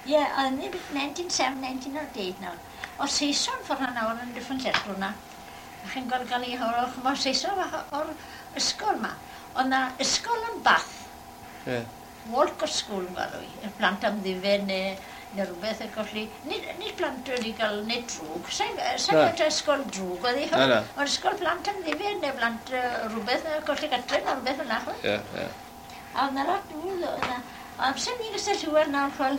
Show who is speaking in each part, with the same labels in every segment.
Speaker 1: Ie, oedd ni 1907, 1908 nawr. O Saeson ffordd na nawr yn Dyffryn Lletw na. A chi'n gweld gael ei hawr, chymod, Saeson o'r ysgol ma. Oedd na ysgol yn Bath.
Speaker 2: Ie.
Speaker 1: Walcott School yn galw i, y plant am ddifed neu rhywbeth ac felly, nid plant wedi cael nid drwg, sa'n sa
Speaker 2: Na.
Speaker 1: gwybod ysgol drwg oedd hi,
Speaker 2: Na, na.
Speaker 1: ond ysgol plant am ddifed neu plant rhywbeth colli gatre neu rhywbeth fel 'na, ch'mod.
Speaker 2: Ie, ie.
Speaker 1: A oedd 'na lot mwy, oedd 'na, amser ni'n Castell Hywel nawr, ch'wel,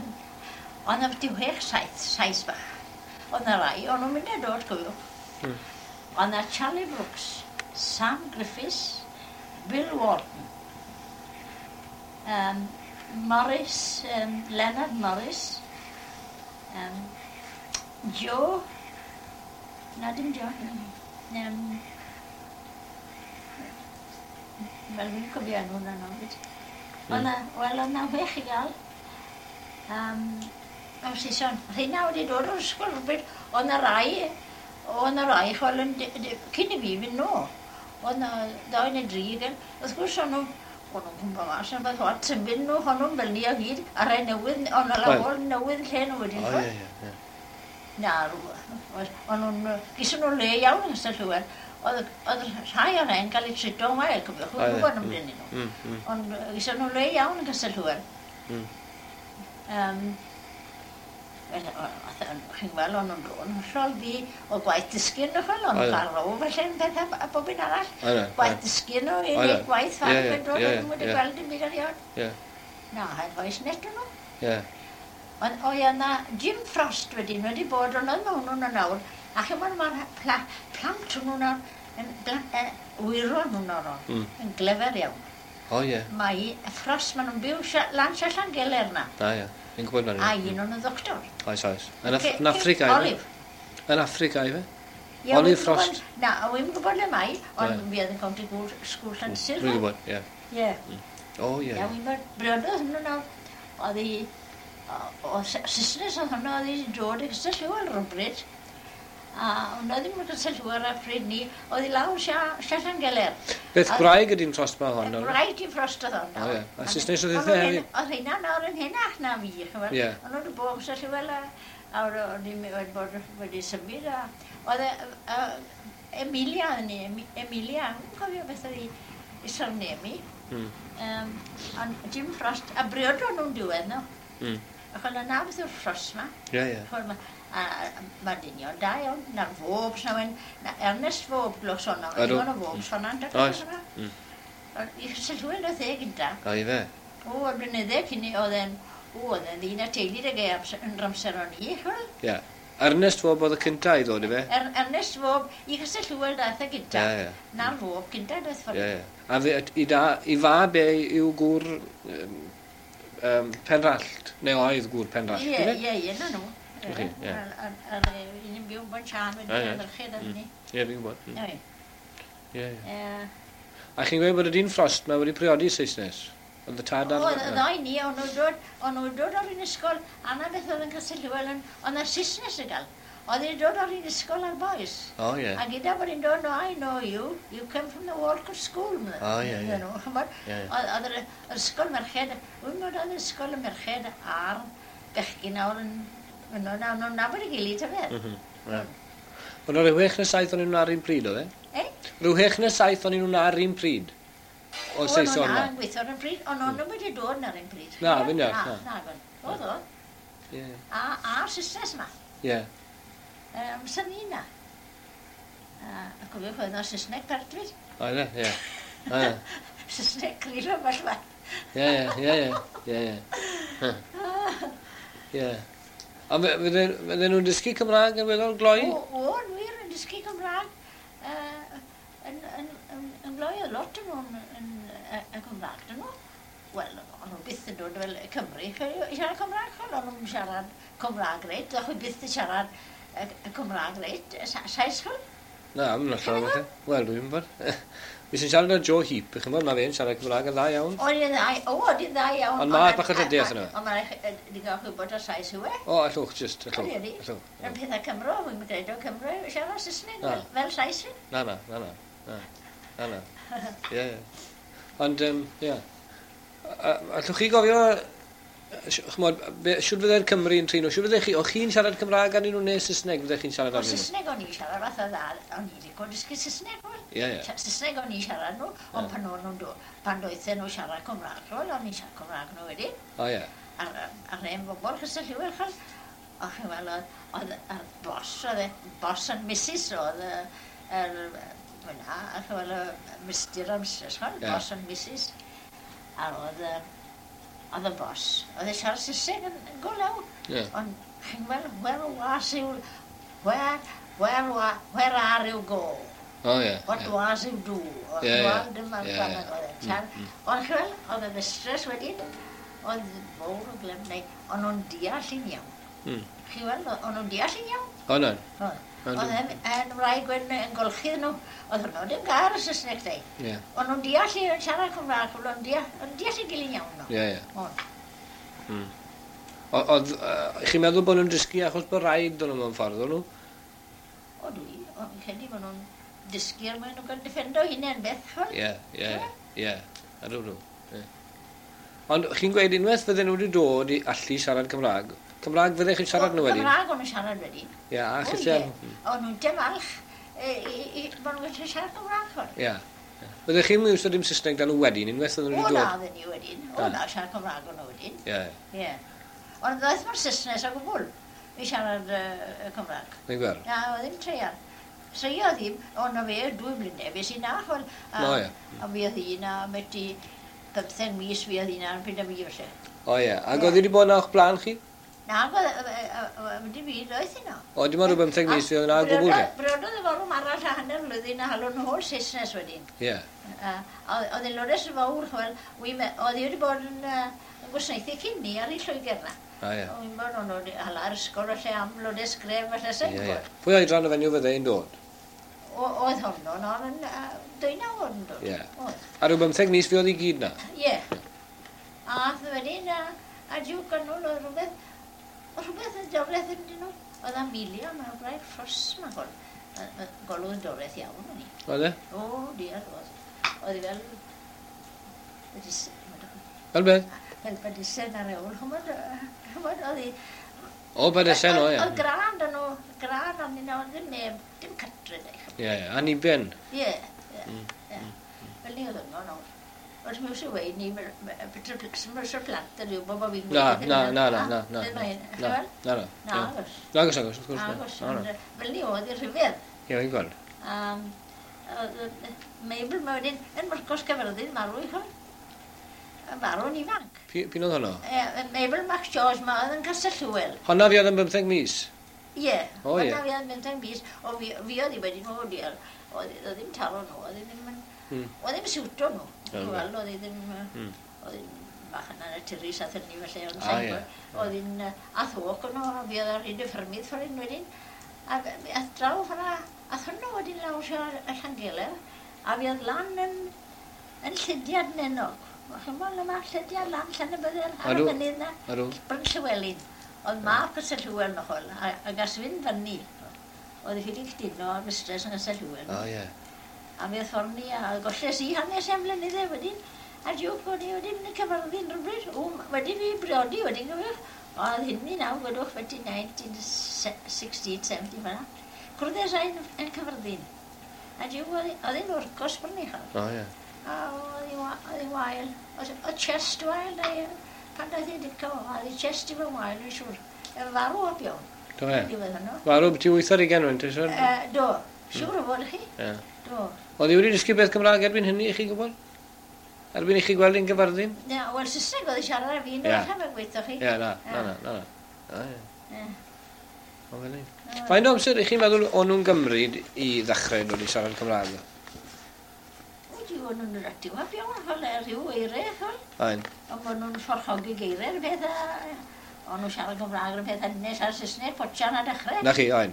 Speaker 1: oedd 'na byti 6, 7, Sais bach. Oedd 'na rai, o'n nhw'n mynd a dod, cofiwch. Oedd 'na Charlie Brooks, Sam Griffiths, Bill Wharton, Morris, Leonard Morris, Joe, na dim Joe, wel fi'n cofio enw hwnna nawr fyd. Oedd 'na, wel oedd 'na 6 i gael. O Saeson, rheina wedi dod o'r ysgol rhywbryd, oedd 'na rai, oedd 'na rai, ch'wel, yn cyn i fi fynd nôl. Oedd 'na 2 neu 3 gen, wrth gwrs o'n nhw'n cwmpo mas yn fath o symud nhw, o'n nhw'n fel ni o hyd, a rai newydd, o'n nhw'n lawr newydd lle nhw wedyn.
Speaker 2: O, ie, ie, ie.
Speaker 1: Na, o'n nhw'n, gyson nhw le iawn yng Nghastell Hywel. Oedd rhai o'r rhain cael eu trito'n wael, cofiwch,
Speaker 2: O, ie.
Speaker 1: gwybod amdano nhw. Ond gyson nhw le iawn yng Nghastell Hywel. Wel, chi'n gweld, o'n nhw'n dod yn hollol ddu o gwaith dysgu nhw, ch'wel, o'n nhw'n cael row felly yn pethau a bob un arall. Gwaith dysgu nhw i wneud gwaith ffarm yn dod, o'n nhw'n wedi gweld dim byd erioed. Na, heb oes net o'n nhw. Ond o ie, na Jim Frost wedyn wedi bod, ond oedd mewn hwnnw nawr, a chimod mae'r plant hwnnw nawr, yn wyron hwnnw nawr, yn glyfar iawn.
Speaker 2: O ie.
Speaker 1: Mae Frost, maen nhw'n byw lan Llangeler na.
Speaker 2: Na ie, fi'n gwybod fan
Speaker 1: A un o'n nhw'n ddoctor.
Speaker 2: Oes, oes. Yn Affrica, ife?
Speaker 1: Olive.
Speaker 2: Yn Affrica, ife?
Speaker 1: Ie,
Speaker 2: Olive
Speaker 1: wi'n
Speaker 2: Frost.
Speaker 1: gwbod- Na, wi'n gwybod le mae, ond fi oedd yn County School Llansyr.
Speaker 2: Dwi'n gwybod, ie.
Speaker 1: Ie.
Speaker 2: O ie.
Speaker 1: Ie, wi'n gwybod, briododd hwnnw nawr, oedd hi, o Saesnes oedd hwnnw, oedd hi dod i Castell Hywel rhywbryd. A hwnna ddim yn Castell Hywel ar pryd ni, oedd hi lawr sia Llangeler.
Speaker 2: Beth gwraig ydy'n Frost ma hon?
Speaker 1: Gwraig di Frost oedd hon
Speaker 2: O
Speaker 1: nawr.
Speaker 2: ie, a Saesnes oedd hithe hefyd?
Speaker 1: Oedd rheina nawr yn henach na fi, ch'mod.
Speaker 2: Ie.
Speaker 1: O'n nhw wedi bod yn Castell Hywel a o'n i wedi bod wedi symud a oedd Emilia oedd ni, Emilia, fi'n cofio beth oedd hi surname hi. Ond Jim Frost, a briodon nhw'n diwedd nhw. Achos na beth yw'r Frost ma.
Speaker 2: Ie, ie.
Speaker 1: Ch'mod, a ma' dynion da iawn, na'r Fobs na wen, na Ernest Fob glwch sôn am,
Speaker 2: Ydw.
Speaker 1: digon o Fobs fan'na, yndoedd?
Speaker 2: Oes.
Speaker 1: Ond i Castell Hywel oedd e gynta.
Speaker 2: O, ife?
Speaker 1: O, y blynydde cyn i, oedd e'n, o, oedd e'n ddyn a teulu ag e yn yr amser o'n i, ch'mod?
Speaker 2: Ie. Ernest Fob oedd y cynta i ddod, ife?
Speaker 1: Ernest Fob, i Castell Hywel daeth e gynta.
Speaker 2: Ie, ie.
Speaker 1: Na'r Fob gynta daeth ffordd.
Speaker 2: Ie, ie. A fe, i, da, i fab e yw gŵr Penrallt, neu oedd gŵr Penrallt,
Speaker 1: Ie,
Speaker 2: ife?
Speaker 1: ie, ie, na nhw.
Speaker 2: Chi, ie.
Speaker 1: A'r un yn byw yn Bon Siân wedi
Speaker 2: Ie, ie.
Speaker 1: merched ar hynny.
Speaker 2: Ie, fi'n gwybod.
Speaker 1: Ie.
Speaker 2: Ie, ie.
Speaker 1: Ie.
Speaker 2: A chi'n gweud bod y dyn Frost ma wedi priodi Saesnes? Oedd y tad ar...
Speaker 1: O, y ddau ni, o'n nhw'n dod, o'n nhw'n dod o'r un ysgol, a na beth oedd yn Castell Hywel, oedd na Saesnes y gael. Oedd hi'n dod o'r un ysgol ar boys.
Speaker 2: O, ie.
Speaker 1: A gyda bod hi'n dod, no, I know you, you came from the Walcott School.
Speaker 2: O, ie, ie.
Speaker 1: Nhw, ch'mod?
Speaker 2: Ie, ie.
Speaker 1: Oedd yr ysgol merched, wy'n bod oedd ysgol y merched a'r bechgyn nawr yn, yno, na, nhw'n nabod ei gilydd, ta beth.
Speaker 2: Ie. Ond oedd rhyw 6 neu 7 o'n nhw'n ar un pryd, oedd e?
Speaker 1: Eh?
Speaker 2: Rhyw 6 neu 7 o'n nhw'n ar un pryd. O
Speaker 1: O,
Speaker 2: Saeson
Speaker 1: na,
Speaker 2: ma.
Speaker 1: yn gweithio ar un pryd, ond o'n nhw wedi dod ar un pryd.
Speaker 2: Na, fi'n deall,
Speaker 1: Na,
Speaker 2: na.
Speaker 1: na, gwn. Oedd o.
Speaker 2: Ie.
Speaker 1: A'r Saesnes yma.
Speaker 2: Ie.
Speaker 1: Amser ni na. A cofiwch oedd na Saesneg pert fyd.
Speaker 2: Oedd e, ie. Ie,
Speaker 1: Saesneg cryf ambell waith.
Speaker 2: ie, ie, ie, ie. Ie. A fydden nhw'n dysgu Cymraeg yn weddol gloi?
Speaker 1: O, o, yn wir, yn dysgu Cymraeg. Yn gloi, oedd lot o'n nhw'n yn Cymraeg, dyn nhw. Wel, o'n nhw byth yn dod fel Cymru, i siarad Cymraeg, ch'wel, o'n nhw'n siarad Cymraeg reit, o'ch chi byth yn siarad y Cymraeg reit, Sais, ch'wel.
Speaker 2: Na, mae'n hollol falle. Wel, dwi'n gwybod. Fi sy'n siarad â Joe Heap, chi'n gwybod, mae fe'n siarad Cymraeg yn dda iawn.
Speaker 1: O, i'n dda, o, ydi'n dda iawn.
Speaker 2: Ond ma' bach o dydiaeth yno.
Speaker 1: Ond mae'n digon gwybod o Sais yw e.
Speaker 2: O, allwch, just, allwch.
Speaker 1: Ydi, ydi.
Speaker 2: Allwch.
Speaker 1: Yn pethau Cymro, wy'n credu o Cymro, siarad Saesneg
Speaker 2: Na.
Speaker 1: fel Sais fi.
Speaker 2: Na, na, na, na. Na, na, na. Ie, ie. Ond, ie. Allwch chi gofio Ch'mod, shwd fydde'r Cymry yn trin nhw? Shwd fyddech chi, o'ch chi'n siarad Cymraeg arnyn nhw neu Saesneg fyddech chi'n siarad arnyn nhw?
Speaker 1: O, Saesneg o'n i'n siarad fath o dda, o'n i'n lico dysgu Saesneg, wel.
Speaker 2: Ie, ie.
Speaker 1: Saesneg o'n i'n siarad nhw, ond pan o'n nhw'n dod, pan doethen nhw siarad Cymraeg, wel, o'n i'n siarad Cymraeg nhw wedyn.
Speaker 2: O, ie.
Speaker 1: A'r hen bobl, chysau lliw, chal. O, chi'n weld, oedd y boss, oedd e, boss and Mrs. Oedd y, yr, fyna, chi'n weld, y Mr and Mrs, chal, boss and Mrs. A oedd, oedd y boss, oedd e siarad Saesneg yn go lew. Ond chi'n gweld, where was you, where are you go?
Speaker 2: Oh, yeah.
Speaker 1: What was you do?
Speaker 2: Ie, ie.
Speaker 1: Dyma'r grammar oedd e. Ond chi'n gweld, oedd y mistress wedyn, oedd fawr o glem, neu, ond nhw'n deall i'n iawn. Chi'n gweld, o'n nhw'n deall i'n iawn.
Speaker 2: O, na.
Speaker 1: Oedd e'n wraig yn golchi nhw, oedd hwnnw ddim gair y Saesneg dau.
Speaker 2: Ie.
Speaker 1: O'n nhw'n deall i'n siarad Cymraeg, o'n nhw'n deall i'n gilydd iawn nhw.
Speaker 2: Ie, ie. Oedd, chi'n meddwl bod nhw'n dysgu achos bod rhaid o'n nhw mewn ffordd, o'n nhw?
Speaker 1: O, dwi, o'n credu bod nhw'n dysgu er mwyn nhw'n cael defendo hunain beth, ch'mod?
Speaker 2: Ie, ie, ie. Ydw nhw. Ond chi'n gweud unwaith fydden nhw wedi dod i allu siarad Cymraeg, Cymraeg fyddech chi'n siarad nhw wedyn?
Speaker 1: Cymraeg o'n nhw'n siarad wedyn.
Speaker 2: Ie, a chi
Speaker 1: O'n nhw'n dim alch bod nhw'n gallu siarad Cymraeg.
Speaker 2: Ie. Fyddech chi'n iwso dim Saesneg dan nhw wedyn, unwaith oedden nhw wedi dod?
Speaker 1: O na, oedden ni wedyn. O na, siarad Cymraeg o'n nhw wedyn.
Speaker 2: Ie.
Speaker 1: Ie. Ond ddaeth mae'r Saesnes o gwbl i siarad Cymraeg.
Speaker 2: Fi'n gweld.
Speaker 1: Na, oedd ddim treial. Treio ddim, ond na fe 2 blynedd, fe sy'n na, ch'mod.
Speaker 2: O ie.
Speaker 1: A fi oedd un a beti 15 mis fi oedd un a'n pryd am i felly.
Speaker 2: O ie, ac oedd hi wedi bod yna o'ch blaen chi?
Speaker 1: Na, wedi fi doedd hi no.
Speaker 2: O, dim ond rhyw 15 mis fi oedd yna o gwbl te?
Speaker 1: Briododd y forwm arall a hanner blwyddyn a halwn holl Saesnes wedyn.
Speaker 2: Ie.
Speaker 1: Oedd hi'n lodes fawr, ch'mod, oedd hi wedi bod yn gwasanaethu cyn ni ar ei Lloegr na.
Speaker 2: O ie.
Speaker 1: O'n bod o'n hala'r ysgol felly am lodes gref felly sy'n
Speaker 2: gwybod. Pwy oedran o fenyw fydde hi'n dod?
Speaker 1: Oedd honno, o'n 19 o'n dod.
Speaker 2: Ie. A rhyw 15 mis fi oedd i gyd na?
Speaker 1: Ie. A ath wedyn, a jiwc yn ôl, oedd rhywbeth yn doreth yn dyn nhw. Oedd Amelia, mae'n gwraig ffos ma'n gol. Golwg yn doreth iawn o'n i.
Speaker 2: Oedd e?
Speaker 1: O, diar, oedd. Oedd hi fel...
Speaker 2: Fel beth?
Speaker 1: Fel badisen ar ewl, ch'mod, oedd hi...
Speaker 2: O, badisen, o, ie.
Speaker 1: Oedd gran dyn nhw, gran arnyn nhw, oedd ddim neb, dim cytre, de.
Speaker 2: Ie, ie, aniben.
Speaker 1: Ie, ie, ie. Fel ni oedd yno nawr. Ond mi wrth i weud ni, Mr Plant yn rhyw bod fi'n...
Speaker 2: Na, na, na, na, na, na. Na, na, na.
Speaker 1: Na, agos.
Speaker 2: Na, agos, agos, wrth gwrs.
Speaker 1: Agos, fel ni oedd i'r rhyfedd.
Speaker 2: Ie, fi'n gweld.
Speaker 1: Mabel, mae wedyn, yn Myrcos Caerfyrddin, marw i ch'mod. Farw'n ifanc.
Speaker 2: P'un oedd honno?
Speaker 1: Mabel Max George, ma oedd yn Castell Hywel.
Speaker 2: Honna fi oedd yn 15 mis?
Speaker 1: Ie,
Speaker 2: O, ie.
Speaker 1: Honna fi oedd yn 15 mis. O, fi oedd hi wedyn, o, diar, oedd ddim taro nhw, oedd ddim yn... Oedd ddim siwto nhw. Wel, oedd hi ddim... Oedd hi'n bach yn anaturus a thynnu felly, ond sa'n gwybod. Oedd hi'n athwch nhw, a fi oedd ar hyd y ffermydd ffordd hyn wedyn. A ath draw ffordd, ath hwnnw wedyn lawr y Llangeler, a fi oedd lan yn Llydiad Nenog. Ch'mod, yma Llydiad lan Llanybydder ar y mynydd na. Bryn Llywelyn. Oedd mab Castell Hywel nochol, a gas fynd fyny. Oedd hi wedi cydino ar mistress yn Castell Hywel.
Speaker 2: O, ie.
Speaker 1: A mi oedd ffordd ni, a golles i hanes am blynydde wedyn. A jiwc, o'n i wedi mynd i Caerfyrddin rhywbryd. O, wedi fi briodi wedyn, gyfwch. Oedd hynny nawr, gwedwch, wedi 1968, 70 fan'na. Cwrddes i'n yn Caerfyrddin. A jiwc, oedd hi'n wrcos brynu chael.
Speaker 2: O, ie.
Speaker 1: A oedd hi'n wael. Oedd chest wael, pan daeth hi'n dico, oedd hi chest i fy wael, yn siŵr. Farw o iawn.
Speaker 2: Do fe? Farw byti 80 o'n, ti'n siŵr?
Speaker 1: Do, siŵr o fod chi. Do.
Speaker 2: Oedd hi wedi dysgu beth Cymraeg erbyn hynny, i chi gwybod? Erbyn i chi gweld hi'n Gyfarddin?
Speaker 1: Na, wel, Saesneg oedd hi siarad â fi, na, allan fe'n gweithio chi.
Speaker 2: Ie, na, na, na, na. Ie. O, fel ni. Faint o amser i chi'n meddwl o'n nhw'n gymryd i ddechrau dod i siarad Cymraeg?
Speaker 1: O, di, o'n nhw'n ati wap iawn, fel rhyw eiriau, fel.
Speaker 2: Ain.
Speaker 1: Ond bod nhw'n fforchogi geiriau, rhywbeth a... O'n nhw'n siarad Cymraeg rhywbeth a nes ar Saesneg, potsian a dechrau.
Speaker 2: Na chi, ain.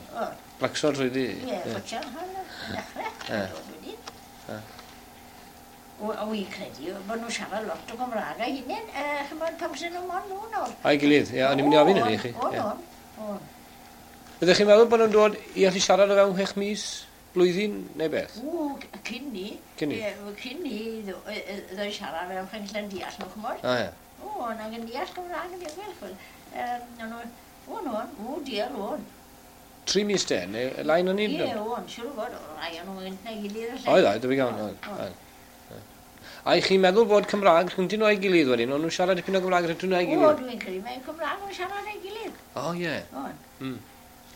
Speaker 2: Blacso trwy di.
Speaker 1: Ie, potsian a dechrau.
Speaker 2: Ie.
Speaker 1: O, wy'n credu bod nhw'n siarad lot o Gymraeg a hunain, ch'mod, pam sy'n nhw mon nhw nawr.
Speaker 2: A'i gilydd, ie, o'n i'n mynd i ofyn hynny i chi.
Speaker 1: O, o'n.
Speaker 2: Ydych chi'n meddwl bod nhw'n dod i allu siarad o fewn 6 mis, blwyddyn neu beth?
Speaker 1: O, cyn ni.
Speaker 2: Cyn ni?
Speaker 1: Cyn ni, ddod siarad fewn chwech deall nhw, ch'mod.
Speaker 2: O, ie.
Speaker 1: O, na gen deall Cymraeg yn ddiogel, chwel. No, o, no, o, diar, o'n.
Speaker 2: 3 mis de, neu lai na ni?
Speaker 1: Ie, o'n, siŵr o fod, o, rai o'n nhw gynt na'i gilydd.
Speaker 2: Oedd, oedd, debyg iawn, oedd. A i chi'n meddwl bod Cymraeg rhyngddyn nhw a'i gilydd wedyn, o'n nhw'n siarad dipyn o Gymraeg rhyngddyn nhw a'i gilydd?
Speaker 1: O, dwi'n credu mae Cymraeg yn siarad a'i gilydd.
Speaker 2: O, ie.
Speaker 1: O'n.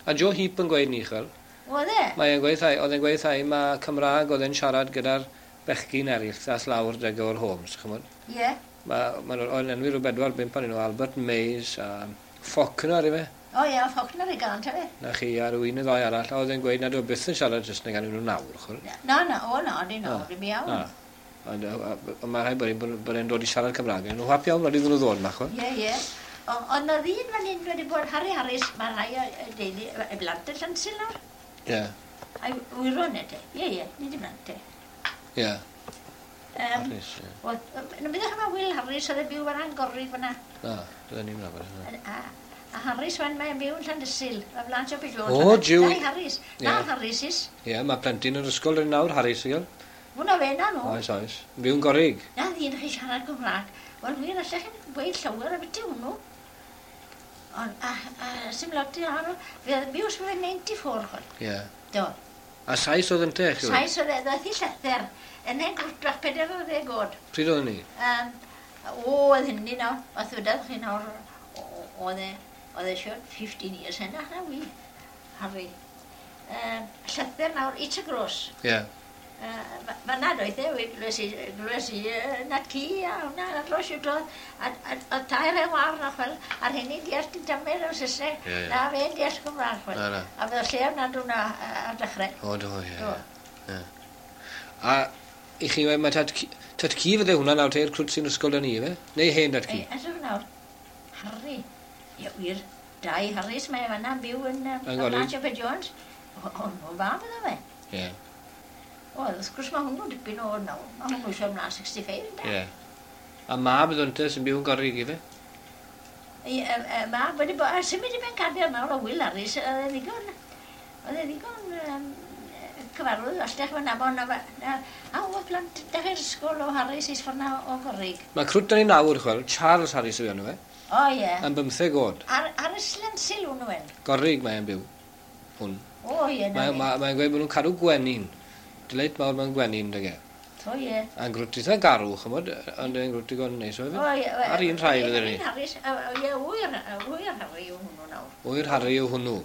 Speaker 2: A Joe Heap yn gweud ni, chwel.
Speaker 1: Oedd e?
Speaker 2: Mae e'n gweud, oedd e'n gweud thai, mae Cymraeg oedd e'n siarad gyda'r bechgyn eraill ddas lawr dy o'r Holmes, chymod?
Speaker 1: Ie.
Speaker 2: Mae o'n enwi rhyw 4, 5 o'n nhw, Albert Mays a Faulkner, ife?
Speaker 1: O ie, Faulkner i gael, ta fe.
Speaker 2: Na chi, a rhyw un neu ddau arall, a oedd e'n gweud nad oedd byth yn siarad Saesneg gan nhw nawr, chwel.
Speaker 1: Na, na, o na, di nawr, dim iawn.
Speaker 2: Na. Ond mae rhaid bod e'n dod i siarad Cymraeg. Nhw'n hap iawn, rhaid iddyn nhw ddod yma, chwel.
Speaker 1: Ie, ie. Ond na ddyn fan hyn wedi bod Harry Harris, mae rhai o deulu, y blant yn Llansil nawr.
Speaker 2: Ie.
Speaker 1: A'i wyron e te. Ie, ie, nid i blant te.
Speaker 2: Ie. Harris, ie.
Speaker 1: Na byddwch yma Will Harris oedd yn byw fan Angorrig fyna.
Speaker 2: Na, bydden ni'n nabod.
Speaker 1: A Harris fan mae'n byw yn Llandysul, y flan Siop Jones.
Speaker 2: O, jiw.
Speaker 1: Dau Harris. Na Harris is.
Speaker 2: Ie, mae plentyn yn ysgol yn nawr, Harris, i gael.
Speaker 1: Hwna fe na nhw.
Speaker 2: Oes, oes. Byw'n Gorig.
Speaker 1: Na ddyn chi siarad Cymraeg. Wel, wir, allech chi'n gweud llawer am beth hwnnw. Ond, a sy'n lot i arno, fe byw sy'n fe 94, chwel.
Speaker 2: Ie.
Speaker 1: Do.
Speaker 2: A Sais oedd yn te, chi?
Speaker 1: Sais oedd e, ddaeth i llythyr. Yn ein grwtbach 40 oed.
Speaker 2: Pryd oedd ni?
Speaker 1: O, oedd hynny nawr. Oedd ddwedodd chi nawr, oedd e siwr 15 years hynna, na wi, Harry. Llythyr nawr, i ty gros.
Speaker 2: Ie.
Speaker 1: Fanna doedd e, glwys i na ci a hwnna, a dros i'w doedd, a tair e war na chwel, a'r hynny deall dim tamer o Saesneg, na fe'n deall Cymraeg chwel. A fydde lle am nad hwnna ar dechrau.
Speaker 2: O, do, ie. A i chi, mae tad ci fydde hwnna nawr te'r crwt sy'n ysgol da ni, fe? Neu hen dad ci?
Speaker 1: Edrych nawr, Harry, ie, wir, dau Harris, mae fanna'n byw yn Blanche Jones. O, nhw fab iddo fe.
Speaker 2: Ie.
Speaker 1: O, wrth gwrs mae hwnnw dipyn o nawr. Mae hwnnw eisiau ymlaen 65, ynde?
Speaker 2: Ie. A mab iddo ynte sy'n byw yn Gorig, ife?
Speaker 1: Ie, mab wedi bod... A symud i Bencader nawr o Will Harris, oedd e ddigon cyfarwydd, allech fan nabod, a oedd plant dechrau'r ysgol o Harris is ffordd o Gorig.
Speaker 2: Mae crwt dan ni nawr, chwel, Charles Harris yw enw fe.
Speaker 1: O, ie.
Speaker 2: Yn 15 oed.
Speaker 1: Ar y Slensil hwnnw en?
Speaker 2: Gorig mae'n byw, hwn.
Speaker 1: O, ie, na.
Speaker 2: Mae'n gweud bod nhw'n cadw gwenyn. Dyleit mawr mewn gwenyn, dyge.
Speaker 1: O, ie.
Speaker 2: A'n grwt eitha garw, chymod, ond e'n grwt digon neis o hefyd.
Speaker 1: O, ie.
Speaker 2: Ar un rhai fydde ni.
Speaker 1: Ar un Harris, ie, wyr Harry yw hwnnw nawr.
Speaker 2: Wyr Harry yw hwnnw.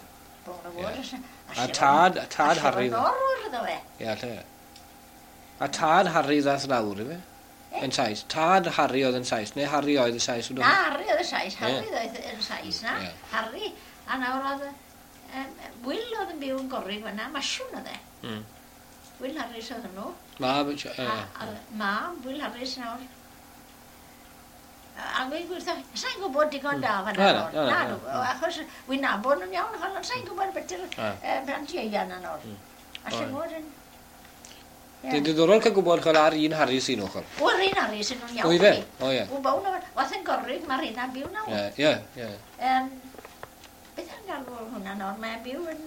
Speaker 1: Bron o fod.
Speaker 2: A tad Harry...
Speaker 1: A siarad iddo fe.
Speaker 2: Ie, lle. A tad Harry ddath lawr, ife? Yn Sais. Tad Harry oedd yn Sais, neu Harry oedd y Sais.
Speaker 1: Na, Harry oedd y Sais. Harry oedd y Sais, na. Harry. A nawr oedd... Will oedd yn byw yn Gorig fan'na, masiwn oedd e. Will Harris oedd hwnnw.
Speaker 2: Mab...
Speaker 1: Mab, Will Harris nawr. A gweud gwirtho, sa'n gwybod digon da fan'na nawr. Na, achos wy'n nabod nhw'n iawn, ond sa'n gwybod beth yw'r plant ieuan na nawr. Alle fod yn...
Speaker 2: Dwi'n diddorol cael gwybod chwel ar un Harris un ochr.
Speaker 1: O, yr un Harris yn nhw'n iawn.
Speaker 2: O, ife? O, ie.
Speaker 1: O, bawn o, wath yn Gorig, mae'r un a'n byw nawr.
Speaker 2: Ie, ie.
Speaker 1: Beth yn galw hwnna nawr? Mae'n byw yn...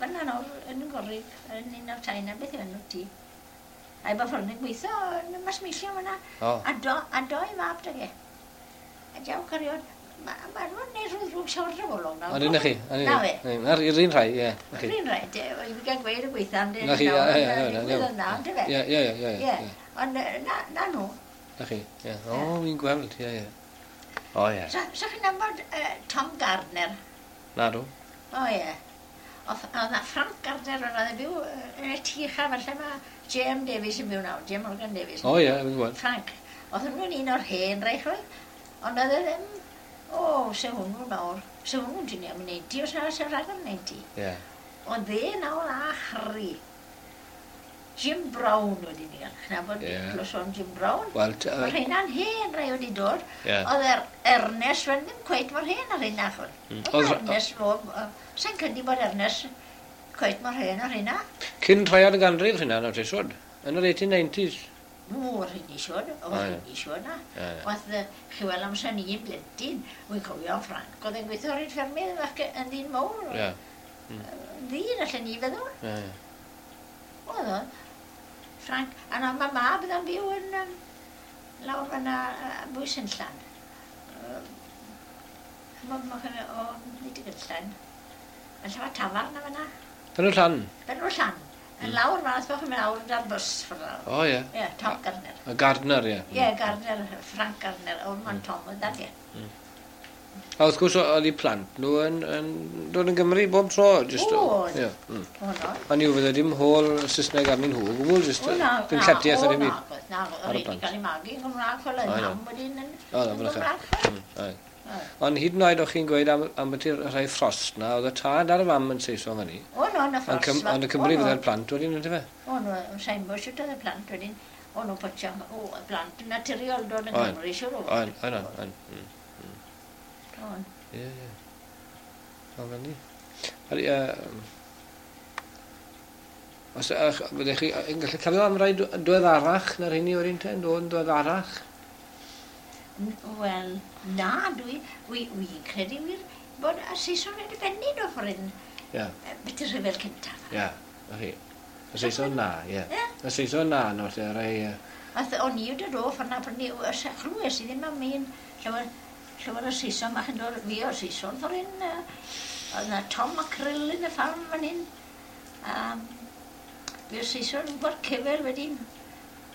Speaker 1: Fyna nawr yn Gorig, yn un o'r tai na, beth yw enw ti? A'i bod ffordd yn gweithio yn y masmeillio fyna. A doi mab dyge. A diaw cariod, ma' nhw'n neud rhyw ddrwg siawr drafolwg nawr.
Speaker 2: Ond yna chi.
Speaker 1: Na fe.
Speaker 2: Na'r un rhai, ie.
Speaker 1: Yr un rhai, i fi gael gweud y gweitha am
Speaker 2: Na chi, ie, ie, ie.
Speaker 1: Na, on'd yfe?
Speaker 2: Ie, ie, ie.
Speaker 1: Ie, ond na nhw.
Speaker 2: Na chi, ie. O, fi'n gweld, ie, ie. O, ie.
Speaker 1: So chi'n nabod Tom Gardner?
Speaker 2: Na dw.
Speaker 1: O, ie. Oedd na Frank Gardner yn oedd yn byw yn y tŷ uchaf, falle mae J.M. Davies yn byw nawr, J.M. Morgan Davies.
Speaker 2: O ie, fi'n gwybod.
Speaker 1: Frank. Oedd hwnnw'n un o'r hen rai, chwel. Ond oedd e ddim, o, se hwnnw nawr, se hwnnw'n tynnu am 90, os na, se rhag am 90.
Speaker 2: Ie.
Speaker 1: Ond dde nawr a Harry. Jim Brown wedi ni gael. Chna bod clywson Jim Brown.
Speaker 2: Wel,
Speaker 1: Mae rheina'n hen rai wedi dod. Oedd Ernest fel ddim cweit mor hen ar rheina, chwel. Oedd Ernest fo, sa'n credu bod Ernest cweit mor hen ar rheina.
Speaker 2: Cyn rhaiad y ganrif rheina, nawr te siwr. Yn yr 1890s.
Speaker 1: O, rheini siwr, o, rheini siwr na. Oedd, chi weld amser ni'n blentyn, wy'n cofio Frank, oedd e'n gweithio ar un ffermydd ac yn ddyn mawr. Ddyn, allan ni feddwl. Oedd o. Frank, a na mae mab iddo'n byw yn lawr fyna bwys yn llan. O, nid y gynllan. Yn lle mae tafarn yma fyna.
Speaker 2: Pen o'r llan?
Speaker 1: Pen o'r llan. Yn lawr fan'na, os bod chi'n mynd lawr da'r bws ffordd lawr.
Speaker 2: O, ie.
Speaker 1: Ie, Tom Gardner.
Speaker 2: Y Gardner, ie.
Speaker 1: Ie, Gardner, Frank Gardner, o'r man Tom oedd dad, ie.
Speaker 2: A wrth gwrs, oedd eu plant nhw yn dod yn Gymru bob tro. Just,
Speaker 1: Oedd.
Speaker 2: Ie.
Speaker 1: O, no.
Speaker 2: Ond yw, fydde dim hôl Saesneg arnyn nhw, o gwbl, just
Speaker 1: O, na,
Speaker 2: dim lletiaeth ar
Speaker 1: o,
Speaker 2: dim
Speaker 1: na,
Speaker 2: byd.
Speaker 1: na,
Speaker 2: Ar y
Speaker 1: oedd wedi
Speaker 2: plant.
Speaker 1: cael ei magu yn Gymraeg, fel oedd
Speaker 2: O,
Speaker 1: mam wedyn yn
Speaker 2: O, na,
Speaker 1: yn
Speaker 2: fyna chi.
Speaker 1: Gymraeg. fel.
Speaker 2: Aye. Ond hyd yn oed o'ch chi'n gweud am beth yw'r rhai Frost na, oedd y tad a'r fam yn Saeson fyny.
Speaker 1: O, no, na
Speaker 2: Ond
Speaker 1: Frost.
Speaker 2: Ond y Cymru fydde'r plant wedyn, yndyfe?
Speaker 1: O, no, sa'n bod siwt oedd y plant wedyn. O, no, potio, o, y plant yn naturiol dod yn
Speaker 2: Oedd.
Speaker 1: Cymru, siwr o.
Speaker 2: Oen, oen, oen.
Speaker 1: Oedd.
Speaker 2: Ie, ie. O, fel ni. Ydy, os byddech chi yn gallu cofio am rai diweddarach na'r rheini wedyn te, yn dod yn diweddarach?
Speaker 1: Wel, na, dwi, wi credu wir bod y Saeson wedi bennu nhw ffordd hyn,
Speaker 2: Ie,
Speaker 1: beth yw'r rhyfel cyntaf.
Speaker 2: ie, na chi. Y Saeson na, ie.
Speaker 1: Ie.
Speaker 2: Y Saeson na, nawr te, rai...
Speaker 1: Ath, o'n i wedi dod ffordd na, pryd ni, chlywes i ddim am un llawer o Saeson, bach yn dod, fi o Saeson ffordd hyn, oedd na Tom McCrill yn y ffarm fan hyn. Fi o Saeson yn gweld cefel wedyn,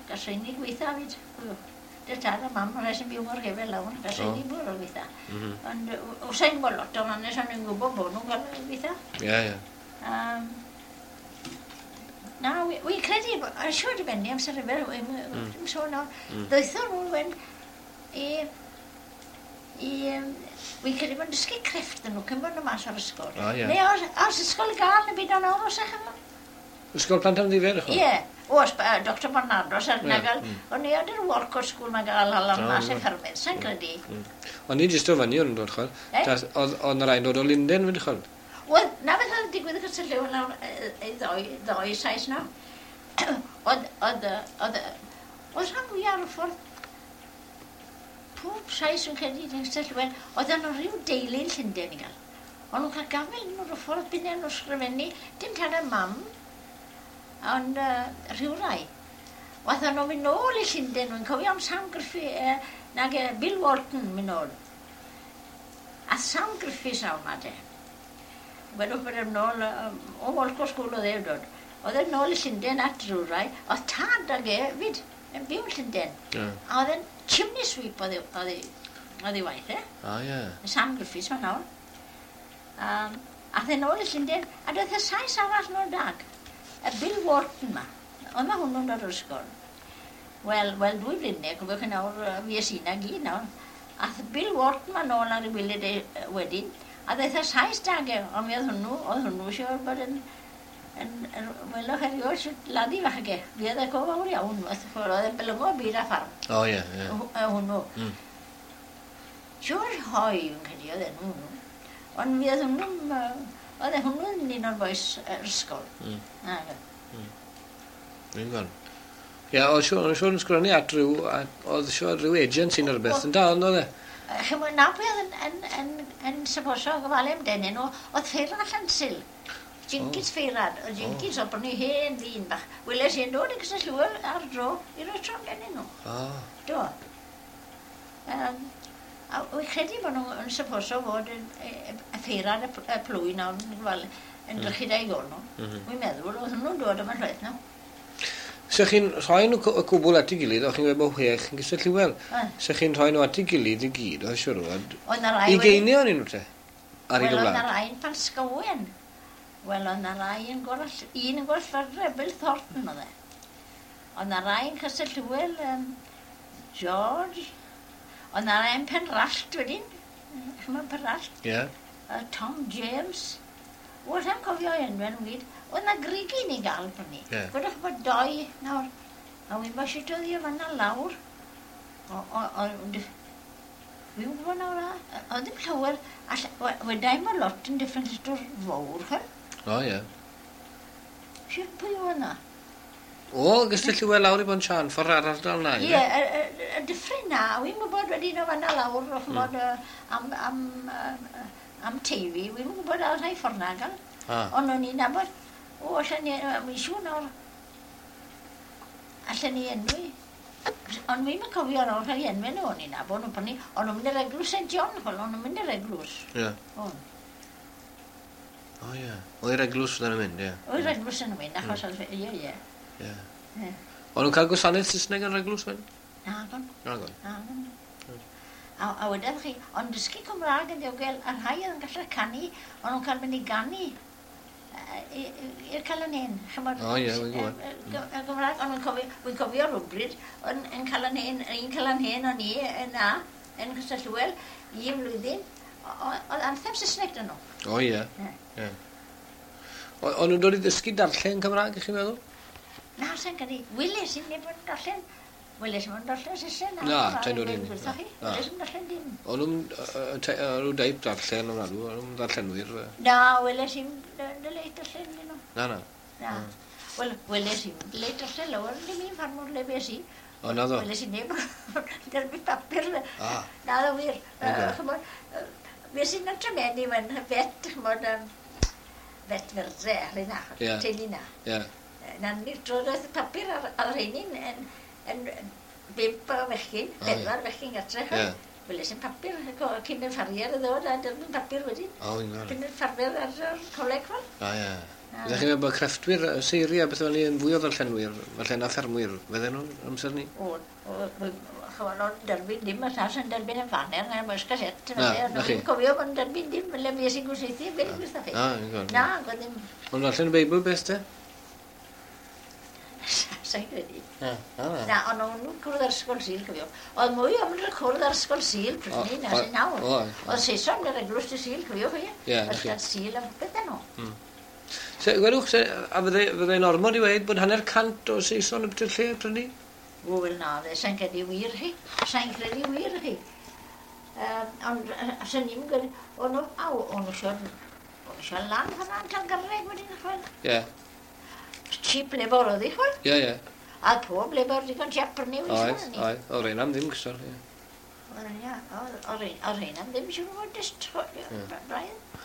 Speaker 1: gasau ni gweitha fyd. Dy tad a mam, rhai sy'n byw mor gefel lawr, gasau ni bwrw o gweitha. Ond o sa'n gwybod lot o'n hanes, o'n i'n gwybod bod nhw'n cael gweitha.
Speaker 2: Ie, ie.
Speaker 1: Na, wi credu, yn siŵr di benni amser rhyfel, dim sôn nawr. Ddoethon nhw wen i, wi'n credu bod yn dysgu crefft yn nhw, cyn bod nhw mas o'r ysgol.
Speaker 2: O, ie.
Speaker 1: Neu os ysgol i gael, neu byd o'n awr os ych chi'n
Speaker 2: Ysgol plant am ddifyr, chwa?
Speaker 1: Ie, oes, Dr Barnardo, sy'n
Speaker 2: Ie,
Speaker 1: gael, o'n i ar yr Walcott School mae'n gael hala
Speaker 2: O,
Speaker 1: mas
Speaker 2: ie.
Speaker 1: i ffermydd, sa'n credu.
Speaker 2: O'n i jyst o fyny o'n dod, chwa.
Speaker 1: Eh?
Speaker 2: Oedd 'na rai'n dod o Lunden, fyd, chwa.
Speaker 1: Wel, na beth oedd digwydd y cysylltu nawr, i ddoi Sais nawr. Oedd, oedd, oedd, oedd rhan fwyaf ar y ffordd, pob Sais yn credu yn cysylltu, oedd yno rhyw deulu yn Llundain i gael. O'n nhw'n cael gafel nhw'r ffordd byd nhw'n ysgrifennu, dim tad a mam, ond rhyw rai. Wath nhw'n mynd nôl i Llundain, wy'n cofio am Sam Griffith, nag Bill Walton mynd nôl. A Sam Griffiths nawr ma te. Wedwch bod e'n nôl, o Walcott School oedd e'n dod. Oedd e'n nôl i Llundain at rhyw rai. Oedd tad ag e fyd yn byw yn Llundain.
Speaker 2: Ie.
Speaker 1: A oedd e'n chimney sweep oedd ei waith, e.
Speaker 2: O, ie.
Speaker 1: Sam Griffiths ma nawr. Ath e'n nôl i Llundain, a doedd y Sais arall nôl dag. Y Bill Wharton ma. Oedd ma hwnnw'n dod o'r ysgol. Wel, 2 blynedd, cofiwch chi nawr, fi es i na gyd nawr. Ath Bill Wharton ma nôl ar ei wyliau wedyn, a ddaeth y Sais dag e, ond mi oedd hwnnw siŵr bod yn welwch erioed shwt ladi fach ag e. Fi oedd e go fawr iawn, oedd e'n bylyngo byd a ffarm.
Speaker 2: O, ie, ie.
Speaker 1: Hwnnw. George Hoy, fi'n credu, oedd enw hwnnw. Ond mi oedd hwnnw'n, oedd e hwnnw'n un o'r bois yr ysgol. Na,
Speaker 2: Fi'n gweld. Ie, oedd siŵr yn sgrifennu at rhyw, oedd siŵr rhyw agency neu rhywbeth yn dal, oedd e?
Speaker 1: Chimod, na pwy oedd yn syposo gofalu amdanyn nhw, oedd Ffeirad Llansil. Jenkins Ffeirad, oedd Jenkins oedd brynu hen ddyn bach. Weles i'n dod yn cysylltwyr ar dro i roi tro amdanyn nhw.
Speaker 2: O.
Speaker 1: Do. A wy'n credu bod nhw'n syposo fod yn y Ffeirad y plwy nawr yn gofalu, yn drychu da'i gol nhw. Wy'n meddwl, oedd nhw'n dod yma'n llwyth nhw.
Speaker 2: Se chi'n rhoi nhw y cwbl at ei gilydd, o'ch chi'n gweud bod chwech yn gysylltu wel.
Speaker 1: Oedd.
Speaker 2: Se chi'n rhoi nhw at ei gilydd i gyd, oedd siŵr o fod.
Speaker 1: Oedd 'na rai
Speaker 2: I
Speaker 1: wedi-
Speaker 2: geinion i nhw te? Ar ei
Speaker 1: Wel, oedd 'na
Speaker 2: gwlad.
Speaker 1: rai yn Palsgowen. Wel, oedd 'na rai yn Gorall, un yn Gorllfyrre, Bill Thornton oedd e. Oedd 'na rai yn Cysylltwyl, George. Oedd 'na rai yn Penrallt wedyn. Chimod Penrallt?
Speaker 2: Ie.
Speaker 1: Tom James. O, allai'm cofio enwau nhw gyd. Oedd 'na grigyn i gael brynu.
Speaker 2: Ie.
Speaker 1: Gwedwch bod doi nawr. A wy'n bod shwt oedd hi o fan'na lawr. Wi'n gwybod nawr a. Oedd ddim llawer. Wedai bod lot yn different little fawr, ch'wel.
Speaker 2: O, ie.
Speaker 1: Shwt pwy oedd 'na?
Speaker 2: O, gysylltu wel lawr i Bont Siân, ffordd ar ardal na,
Speaker 1: Ie, y dyffryn na, wi'n gwybod wedyn o fan'na lawr, ch'mod, am Teifi, wi'n gwybod ar rhai ffordd na gael. Ond o'n i'n nabod, o, allan ni, wi'n siŵr nawr, allan ni enwi. Ond fi'n cofio ar ôl rhai enwau nhw, o'n i'n nabod nhw, pan o'n nhw'n mynd i'r eglwys St John, chwel, o'n nhw'n mynd i'r eglwys.
Speaker 2: Ie.
Speaker 1: O'n.
Speaker 2: O ie. O i'r eglwys fydden nhw'n mynd, ie.
Speaker 1: O i'r eglwys yn mynd, achos oedd, ie, ie.
Speaker 2: Ie.
Speaker 1: Ie.
Speaker 2: O'n nhw'n cael gwasanaeth Saesneg yn yr eglwys wedyn?
Speaker 1: Nagon.
Speaker 2: Nagon.
Speaker 1: Nagon. A wedodd chi, ond dysgu Cymraeg yn ddiogel, a rhai oedd yn gallu canu, o'n nhw'n cael mynd i ganu i'r Calon Hen. Chimod,
Speaker 2: O, ie, wi'n gwbod.
Speaker 1: Y Gymraeg, ond wi'n cofio rhywbryd, yn, yn Calon Hen, un Calon Hen o'n i yna, yn Castell Hywel, un flwyddyn, oedd anthem Saesneg dyn nhw.
Speaker 2: O ie.
Speaker 1: Ie.
Speaker 2: Ie. O'n nhw'n dod i ddysgu darllen Cymraeg, ych chi'n meddwl?
Speaker 1: Na, sa'n credu, weles i neb yn darllen, weles i'm yn darllen Saesneg.
Speaker 2: Na, ta'n dod i ni.
Speaker 1: Gwrtho chi,
Speaker 2: Na.
Speaker 1: weles i'm darllen dim.
Speaker 2: O'n nhw'n nhw deip darllen o'n nhw, o'n nhw'n ddarllenwyr.
Speaker 1: Na, weles i'm dyleit darllen dyn nhw.
Speaker 2: Na, na.
Speaker 1: Na. Wel, weles i'm dyleit darllen lawer, ddim un ffarmwr le bes i.
Speaker 2: O, na ddo.
Speaker 1: Weles i neb derbyn papur.
Speaker 2: Ah.
Speaker 1: Na ddo wir.
Speaker 2: Ocê.
Speaker 1: Ch'mod, fues i'n tremeni wen fet, ch'mod, fet fyrdre, rheina,
Speaker 2: Ie.
Speaker 1: teulu na.
Speaker 2: Ie.
Speaker 1: Na ni drodd y papur ar rheini'n yn 5 o fechgyn,
Speaker 2: O, ie.
Speaker 1: 4 fechgyn gartre.
Speaker 2: Ie.
Speaker 1: Weles i'n papur cyn y ffarier y ddod a derbyn papur wedyn.
Speaker 2: O, fi'n gweld.
Speaker 1: Cyn y ffarwyr ar yr coleg fel.
Speaker 2: O, ie. Ydych chi'n meddwl bod crefftwyr, seiri a beth fel ni yn fwy o ddarllenwyr, falle na ffermwyr, fydden nhw'n amser ni?
Speaker 1: O, ch'mod, o'n derbyn dim, y llall yn derbyn yn faner na'r Welsh Gazette.
Speaker 2: Na,
Speaker 1: felly,
Speaker 2: na chi.
Speaker 1: O'n i'n cofio bod yn derbyn dim, le fues i'n gwasanaethu, beth gwrtho chi.
Speaker 2: Na, fi'n gweld.
Speaker 1: Na, gwedd ddim,
Speaker 2: Ond darllen y Beibl beth te?
Speaker 1: sa'n credu.
Speaker 2: Na, na, na.
Speaker 1: Na, ond o'n nhw'n cwrdd ar ysgol Sul, cofio. Oedd mwy o'n mynd i'r cwrdd ar ysgol Sul, pryd ni, na sy'n nawr.
Speaker 2: Oedd.
Speaker 1: Oedd Saeson yn yr eglwys dy Sul, cofio chi?
Speaker 2: Ie, na chi.
Speaker 1: Ysgol Sul a popeth nhw.
Speaker 2: Se, gwedwch, se, a fydde'n ormod i weud bod 150 o Saeson yn bwyty'r lle pryd ni?
Speaker 1: O, wel na, fe, sa'n credu wir chi. Sa'n credu wir chi. Ond sa'n ni'n gwneud, o'n nhw, aw, o'n nhw isio, o'n nhw isio lan fan'na yn Talgyrreg wedyn, chwel.
Speaker 2: Ie,
Speaker 1: Cheap labour oedd hi, chwel.
Speaker 2: ie, ie.
Speaker 1: A pob labour digon cheap prynu
Speaker 2: Oedd,
Speaker 1: weithio.
Speaker 2: oedd. O, reina am ddim gysor, ie.
Speaker 1: Oedd rheina am ddim siŵr o fod jyst, braidd.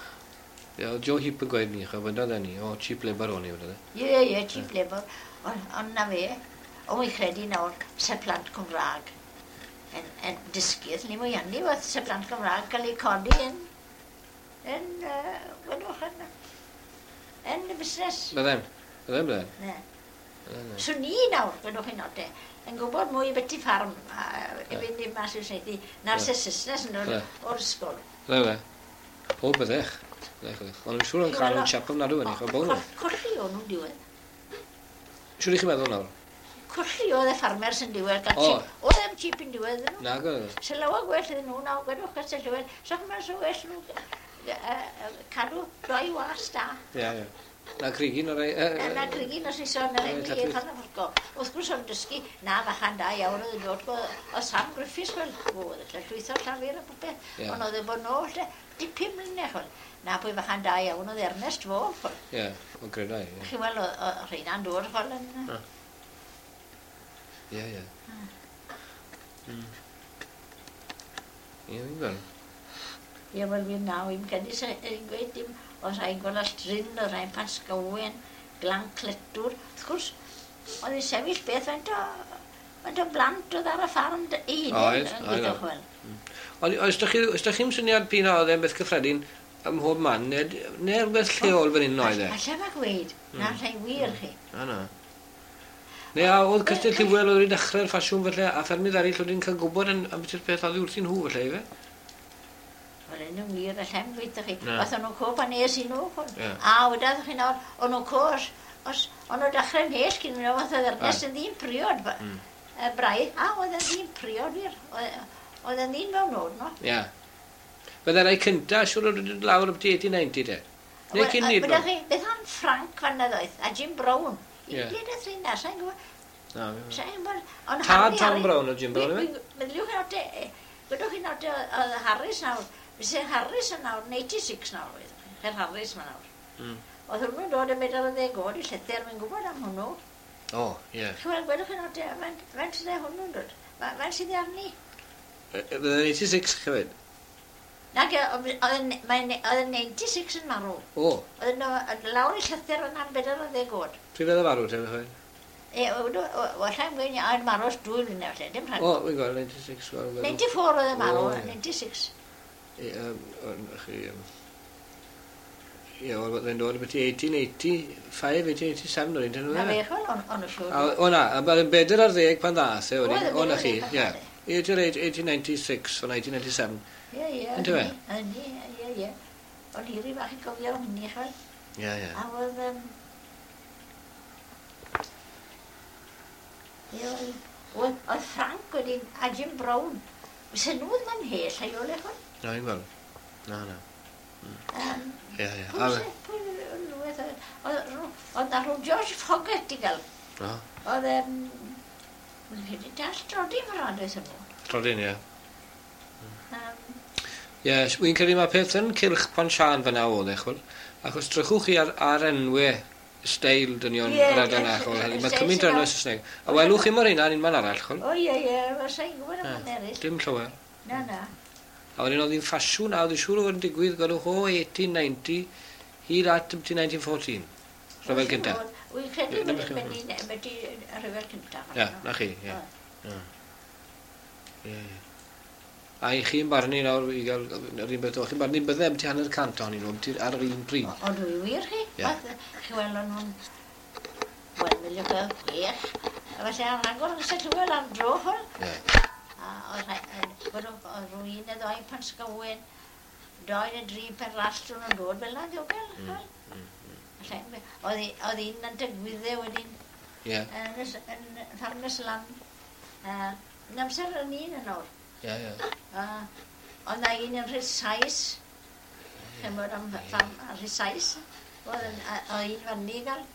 Speaker 2: Ie, oedd Joe Heap yn gweud ni, chwe, wedodd e ni, o, cheap labour o'n i, wedodd e.
Speaker 1: Ie, ie, cheap labour. Ond na fe, ond wi'n credu nawr, se plant Cymraeg yn dysgu, ni mwy hynny, oedd se plant Cymraeg cael eu codi yn, gwedwch, yn y busnes.
Speaker 2: Bydden, bydden, bydden.
Speaker 1: Ne.
Speaker 2: Bydden, ie.
Speaker 1: So ni nawr, gwedwch chi'n note, yn gwybod mwy beth i ffarm, i fynd i mas i'r saethu, na'r se Saesnes yn dod
Speaker 2: Ie.
Speaker 1: o'r ysgol.
Speaker 2: Bydden, bydden. O, byddech. Byddech, byddech. Ond yn siŵr o'n cael nhw'n chap ofnadw yn eich, o bown nhw.
Speaker 1: Colli o'n nhw'n diwedd.
Speaker 2: Siŵr i chi meddwl nawr?
Speaker 1: Colli oedd y ffarmers yn diwedd, gael
Speaker 2: O.
Speaker 1: cheap. Oedd e'n cheap yn diwedd iddyn nhw.
Speaker 2: Na, gwedd.
Speaker 1: Se lawer gwell iddyn nhw nawr, gwedwch Castell Hywel, so chymryd so well nhw cadw doi was da.
Speaker 2: Ie, ie. Na crigyn o'r ei...
Speaker 1: Na crigyn os ison yr
Speaker 2: Ie,
Speaker 1: enw
Speaker 2: lletchwith.
Speaker 1: fan y ffwrco. Wrth gwrs o'n dysgu, na fachan da iawn oedd yn dod o Sam Griffiths, wel, oedd y llwytho llafur a popeth.
Speaker 2: Ie.
Speaker 1: Ond oedd e bod nôl, lle, dipyn mlynedd, chwel. Na pwy fachan da iawn oedd Ernest fo, chwel.
Speaker 2: Ie, o'n gredau, ie.
Speaker 1: Chi weld, oedd rheina'n dod, chwel, yn...
Speaker 2: Ie, ie. Ie, fi'n gweld.
Speaker 1: Ie, wel, fi'n naw, i'n credu sy'n gweud dim, oedd rhai'n gweld Alltrin, oedd rhai'n Pasgawen, Glan Cletwr. Wrth gwrs, oedd hi'n sefyll beth faint o blant oedd ar y ffarm ei hunain
Speaker 2: Oedd,
Speaker 1: yn
Speaker 2: oedd,
Speaker 1: gweithio
Speaker 2: oedd.
Speaker 1: chwel.
Speaker 2: Ond oes da chi, oes da chi'm syniad p'un a oedd e'n beth cyffredin ym mhob man, neu rhywbeth lleol fan hyn oedd e?
Speaker 1: Alla ma gweud, na rhai wir chi.
Speaker 2: Na, na. Neu a oedd Castell Hywel oedd wedi dechrau'r ffasiwn felly, a ffermydd eraill oedd wedi'n cael gwybod yn, am beth yw'r peth oddi wrthyn nhw felly, ife?
Speaker 1: Wel, yn wir, alla i'm gweithio chi.
Speaker 2: Na.
Speaker 1: Oedd nhw'n co pan es i nhw, chwel.
Speaker 2: Ie.
Speaker 1: A wedodd chi nawr, o'n nhw'n co, os, o'n nhw'n dechrau'n mhell cyn nhw, oedd yr Ernest yn ddyn priod, braidd. A, oedd yn ddyn priod wir. Oedd yn ddyn mewn oed, no.
Speaker 2: Ie. Bydde rai cynta, siŵr oedd wedi dod lawr ambyti 1890 te. Neu cyn ni,
Speaker 1: Wydach chi, beth am Frank fan na ddoeth, a Jim Brown. I
Speaker 2: Ie.
Speaker 1: gyd y rheina, sa'n gwybod,
Speaker 2: Na, fi-
Speaker 1: sa'n gwybod. Ond
Speaker 2: Tad
Speaker 1: Harry-
Speaker 2: Tom
Speaker 1: Harry-
Speaker 2: Brown oedd Jim Brown, ife?
Speaker 1: Meddyliwch chi nawr te, gwedwch chi nawr te, oedd Harris nawr, fyse Harris yn nawr, yn 86 nawr, oedd. Her Harris ma nawr. Oedd hwnnw'n dod yn 40 oed i llythyr, mae'n gwybod am hwnnw.
Speaker 2: O, ie.
Speaker 1: Chi weld, gwedwch chi nawr te, faint sydd e hwnnw'n dod? Faint sydd e arni?
Speaker 2: Bydde'n 86 hefyd?
Speaker 1: Nag, oedd yn 96 yn marw.
Speaker 2: O,
Speaker 1: Oedd yn lawr i llythyr yn am 40 oed.
Speaker 2: pryd fydde farw te, fe?
Speaker 1: E, Wallai'n gweud, a marw ers 2 mlynedd falle, dim rhagor.
Speaker 2: O, fi'n gweld, 96.
Speaker 1: 94 oedd e marw, 96.
Speaker 2: Ie, chi... Ie, oedd e'n dod beth 1885, 1887 o'r un, dyn nhw.
Speaker 1: Na fe, chwel, o'n siŵr.
Speaker 2: O na, a yn 40 pan ddath e, wedyn, o na chi, ie. 1896 o 1997.
Speaker 1: Ie, ie.
Speaker 2: Yndyfe?
Speaker 1: Yndi, ie, ie. O'n i rhy fach i gofio hynny, chwel.
Speaker 2: Ie, ie.
Speaker 1: A oedd... Ie, oedd Frank wedyn, a Jim Brown. Sy'n nhw ddim ymhell, a i ole, chwel.
Speaker 2: Na, i'n gweld. Na, na. Ie, ie.
Speaker 1: Pwy oedd na rhyw George Foggett i gael. Oedd, wy'n credu dall drodin fel rhan oes nhw.
Speaker 2: Drodin, ie. Ie, wy'n credu mae peth yn cylch Pontsiân fyna oedd e, chwel. Achos drychwch chi ar enwau steil dynion yr ardal na, chwel. Mae cymaint o enwau Saesneg. A welwch chi mor hynna yn un man arall, chwel.
Speaker 1: O, ie, ie, sa'n gwybod am man eraill.
Speaker 2: Dim llawer.
Speaker 1: Na, na.
Speaker 2: A wedyn oedd hi'n ffasiwn, a oedd hi'n siŵr o fod yn digwydd, gwelwch o 1890 hyd at 1914. Rhyfel cyntaf.
Speaker 1: Wy'n credu wedi rhyfel cyntaf.
Speaker 2: Ie, na chi, ie. Ie. A i chi'n barnu nawr, i gael yr un beth o, chi'n barnu bydde ambiti 150 ohonyn nhw, ambiti ar yr un pryd.
Speaker 1: O, dwi wir chi. Chi weld o'n nhw'n, wel, miliwn o 6. A felly ar rhagor yn Llywel ar dro hwn.
Speaker 2: Ie.
Speaker 1: A oedd rhywun neu ddoi pan sgywen, 2 neu 3 per rallt o'n nhw'n dod fel na ddiogel. Oedd un yn digwyddau wedyn yn Ffarmers Lan. Yn amser yn un yn awr.
Speaker 2: Ie, ie.
Speaker 1: Oedd na un yn rhys Sais, chymod am rhys Sais, oedd un fyny gael.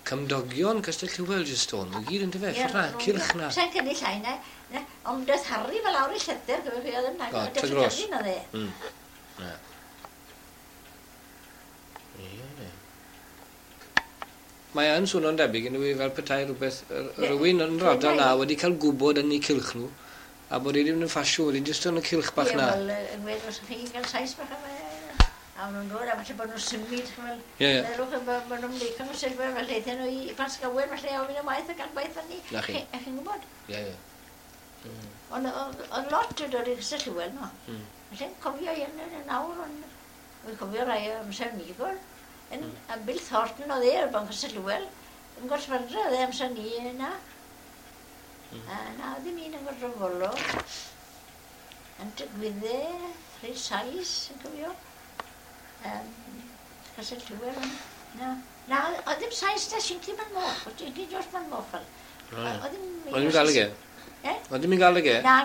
Speaker 2: Cymdogion Castell Hywel jyst o'n, nhw gyd yn dyfe, ffordd na, cylch na.
Speaker 1: Sa'n cynnu llai na, ond daeth Harry fel lawr i llythyr, gyfer chi oedd yn nag, oedd Tregrosyn oedd e.
Speaker 2: Ie. Mae yn swnio'n debyg yn yw fel petai rhywbeth, rhywun yn yr ardal na wedi cael gwybod yn eu cylch nhw, a bod e ddim yn ffasiwn, wedi jyst yn y cylch bach na.
Speaker 1: Ie, wel, yn gweud os chi'n cael Sais bach yma, a nhw'n dod, a falle bod nhw'n symud, fel, meddwch, bod nhw'n leicio nhw'n symud, fel aethon nhw i Pasgawen, falle ofyn am waith a gael gwaith fyny.
Speaker 2: Na chi.
Speaker 1: A chi'n gwybod?
Speaker 2: Ie, ie.
Speaker 1: Ond oedd lot yn dod i Castell Hywel, no. Felly'n cofio un yn nawr, ond wy'n cofio rai amser ni, gwr. Yn Bill Thornton oedd e, o'r Banc Castell Hywel, yn Gorsfyrdra oedd e amser ni yna. Na, oedd ddim un yn Gorfolo. Yn digwyddau, rhai Sais, yn cofio. Castell Hywel, na. Na, oedd ddim Sais da Sinci Man Moch, oedd Sinci George Man Moch fel.
Speaker 2: Oedd ddim gael ag e? Oedd ddim yn gael ag e?
Speaker 1: Na,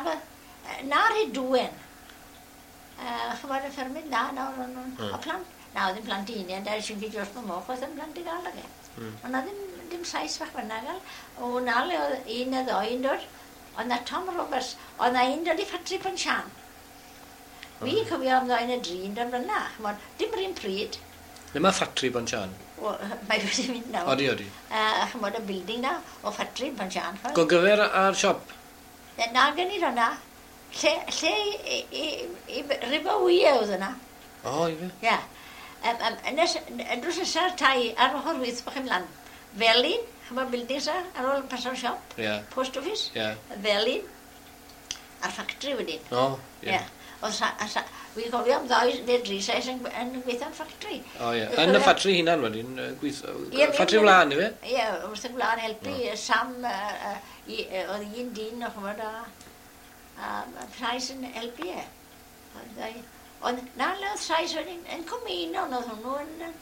Speaker 1: na rhai dwen. Chymod y ffermydd, na, nawr o'n nhw'n... O plant, na, oedd ddim plant un, da Sinci George Man Moch, oedd ddim plant i gael ag e. Ond na ddim Sais fach fyna gael. O, na le oedd un neu ddoi yn dod. Oedd na Tom Roberts, oedd na un dod i ffatri Pontsiân. Fi'n cofio am ddoi neu dri yn dod fyna, chymod, dim yr un pryd.
Speaker 2: Le mae ffatri Pontsiân?
Speaker 1: Mae wedi mynd nawr.
Speaker 2: Odi, odi.
Speaker 1: A chymod y building na, o ffatri Pontsiân.
Speaker 2: Gogyfer a'r siop?
Speaker 1: Na, gen i hwnna. Lle i River Wye oedd yna.
Speaker 2: O, i fe?
Speaker 1: Ie. Drws nesa'r tai ar ochr wyth bach ymlaen. Felin, chymod buildings ar ôl paso'r siop.
Speaker 2: Ie.
Speaker 1: Post office.
Speaker 2: Ie.
Speaker 1: Felin. A'r ffactri wedyn.
Speaker 2: O, ie.
Speaker 1: Wy'n cofio am ddoi neu dri Sais yn gweithio yn ffactri.
Speaker 2: O ie, yn y ffatri hunan wedyn, ffatri wlân, ife?
Speaker 1: Ie, wrth y gwlân helpu Sam, oedd un dyn o chymod a Sais yn helpu e. Ond na le oedd Sais wedyn, yn Cwmeinon oedd hwnnw,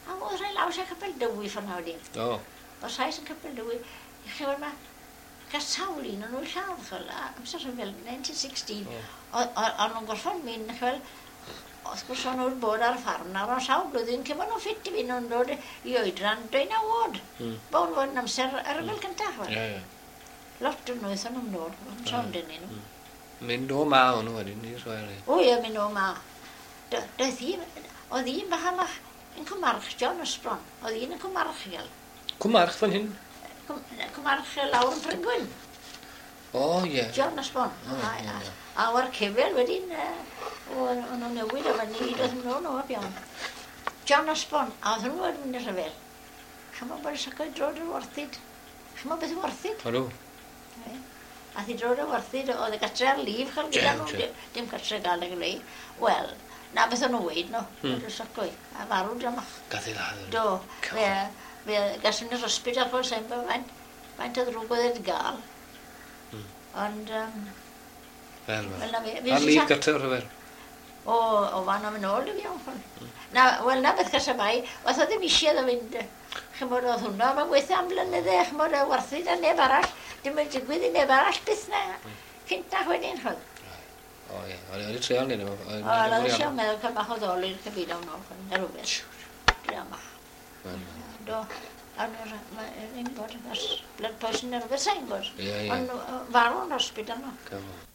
Speaker 1: a oedd rhai laws a Capel Dywi ffordd na wedyn.
Speaker 2: O.
Speaker 1: Oedd Sais yn Capel Dywi, chi weld ma, gael sawl un o'n nhw'n lladd, chwel, amser rhyfel, 1916, o'n nhw'n gorffod mynd, chwel, wrth gwrs o'n nhw'n bod ar ffarm nawr, o'n sawl blwyddyn, cyn bod nhw'n ffit i fynd, nhw'n dod i oedran 19 oed. Bo'n fod yn amser y rhyfel cyntaf, chwel.
Speaker 2: Ie, ie.
Speaker 1: Lot o'n nhw, aethon nhw'n dod, o'n sôn dyn nhw.
Speaker 2: Mynd o ma o'n nhw wedyn, i'r chwel.
Speaker 1: O ie, mynd o ma. Doedd un, oedd un bach amach yn Cwmarch, John Osbron, oedd un yn Cwmarch i gael.
Speaker 2: Cwmarch fan hyn?
Speaker 1: Cwmarch lawr yn Bryngwyn.
Speaker 2: O, ie.
Speaker 1: John Osborne. A o'r cefel wedyn, o'n nhw'n newid o fyny, doedd nhw'n o'r iawn. John Osborne, a oedd nhw wedi mynd i'r rhyfel. Chymod bod y sycoedd drod yn warthyd. Chymod beth yw warthyd?
Speaker 2: Odw.
Speaker 1: A thi drod yn warthyd, oedd y gatre ar lif, chal gyda nhw, dim gatre gael ag le. Wel, na beth o'n nhw weid no, oedd y sycoedd, a farw dramach.
Speaker 2: Gath ei ladd.
Speaker 1: Do, fe, fe gaswn ni'r hospital chol sa'n bod faint, faint o ddrwg oedd e'n gael. Ond,
Speaker 2: Fel,
Speaker 1: wel, na fe.
Speaker 2: Ar lif gatre o'r rhyfer.
Speaker 1: O, o fan am yn ôl i fi o'n. Na, wel, na beth gasa mai, oedd o ddim eisiau iddo fynd, chymod, oedd hwnna, mae'n gweithio am blynydde, chymod, a werthu na neb arall, dim yn digwydd i neb arall byth na, cynt na wedyn, chod.
Speaker 2: O ie, o'n i treial nid
Speaker 1: O, oedd eisiau meddwl cael bach o ddol i'r cyfeiriad hwnnw, chod, na rhywbeth. Drama. Do, a nhw'n bod, blood poison neu rhywbeth, sa'n gwybod.
Speaker 2: Ie, ie.
Speaker 1: Ond farw yn hospital nhw.
Speaker 2: Come on.